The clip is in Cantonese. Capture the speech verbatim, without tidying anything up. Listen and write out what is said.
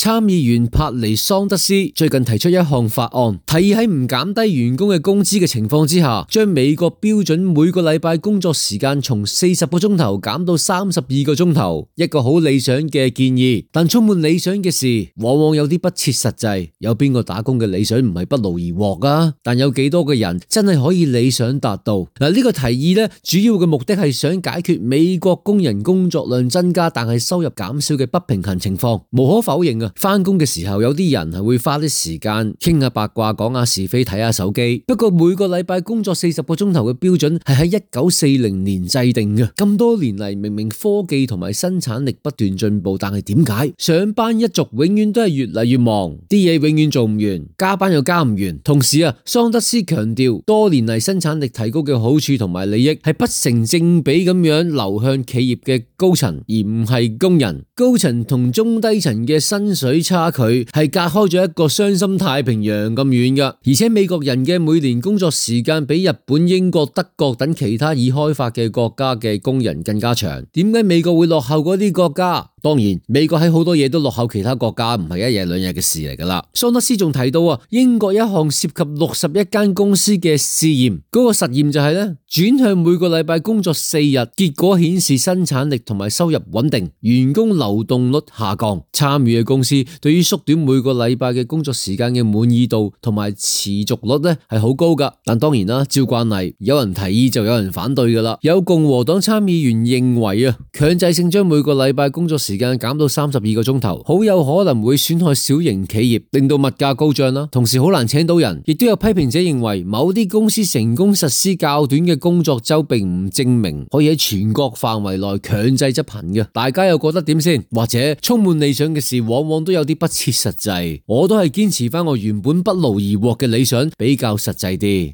參議員帕尼桑德斯最近提出一項法案，提議喺唔減低員工嘅工資嘅情況之下，將美國標準每個禮拜工作時間從四十個鐘頭減到三十二個鐘頭。一個好理想嘅建議，但充滿理想嘅事，往往有啲不切實際。有邊個打工嘅理想唔係不勞而獲啊？但有幾多個人真係可以理想達到？嗱，呢個提議咧，主要嘅目的係想解決美國工人工作量增加但係收入減少嘅不平衡情況。無可否認啊，翻工嘅時候有啲人係會花啲時間傾下八卦、講下是非、睇下手機。不過每個禮拜工作四十個鐘頭嘅標準係喺一九四零年制定嘅。咁多年嚟，明明科技同埋生產力不斷進步，但係點解上班一族永遠都係越嚟越忙，啲嘢永遠做唔完，加班又加唔完？同時啊，桑德斯強調，多年嚟生產力提高嘅好處同埋利益係不成正比咁樣流向企業嘅高層，而唔係工人。高層同中低層嘅薪水差距係隔開咗一個雙心太平洋咁遠噶。而且美國人嘅每年工作時間比日本、英國、德國等其他已開發嘅國家嘅工人更加長。點解美國會落後嗰啲國家？當然，美國喺好多嘢都落後其他國家，唔係一日兩日嘅事嚟噶啦。桑德斯仲提到啊，英國一項涉及六十一間公司嘅試驗，嗰個實驗就係咧，轉向每個禮拜工作四日，結果顯示生產力同埋收入穩定，員工流動率下降。參與嘅公司對於縮短每個禮拜嘅工作時間嘅滿意度同埋持續率咧係好高噶。但當然啦，照慣例，有人提議就有人反對噶啦。有共和黨參議員認為啊，強制性將每個禮拜工作時間減到三十二個鐘頭，好有可能會損害小型企業，令到物價高漲啦。同時好難請到人，亦都有批評者認為，某啲公司成功實施較短嘅工作周，並唔證明可以喺全國範圍內強制執行嘅。大家又覺得點先？或者充滿理想嘅事，往往都有啲不切實際。我都係堅持翻我原本不勞而獲嘅理想比較實際啲。